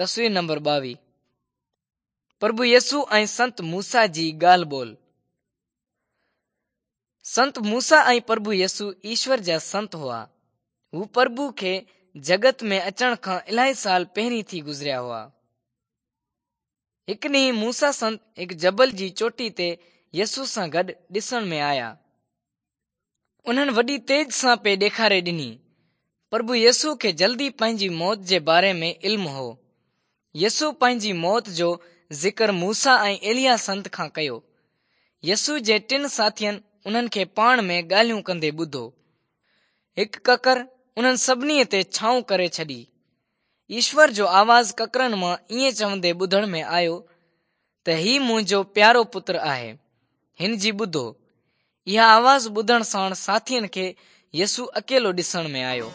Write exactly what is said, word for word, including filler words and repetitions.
تصوير نمبر ٻاويهه. پرڀو يسوع ۽ سنت موسيٰ جي ڳالهه ٻولهه. سنت موسيٰ ۽ پرڀو يسوع ايشور جا سنت هئا. هو پرڀو کي جڳت ۾ اچڻ کان الاهي سال پهرين ٿي گذريا هئا. هڪ ڏينهن موسيٰ سنت هڪ جبل جي چوٽي تي يسوع سان گڏ ڏسڻ ۾ آيا. انهن وڏي تيج سان پئي ڏيکاري ڏني. پرڀو يسوع کي جلدي پنهنجي موت جي باري ۾ علم هو. يسوع پنهنجي موت جو ذڪر موسيٰ ۽ ايليا سنت کان ڪيو. يسوع جي ٽن ساٿين انهن کي پاڻ ۾ ڳالهيون ڪندي ٻڌو. هڪ ڪڪر انهن سڀني تي ڇانو ڪري ڇڏي. ايشور جو آواز ڪڪرن مان ائين چوندي ٻڌڻ ۾ آيو ته هي منهنجو پيارو پتر آهي، هن جي ٻڌو. اها آواز ٻڌڻ ساڻ ساٿين کي يسوع اڪيلو ڏسڻ ۾ آيو.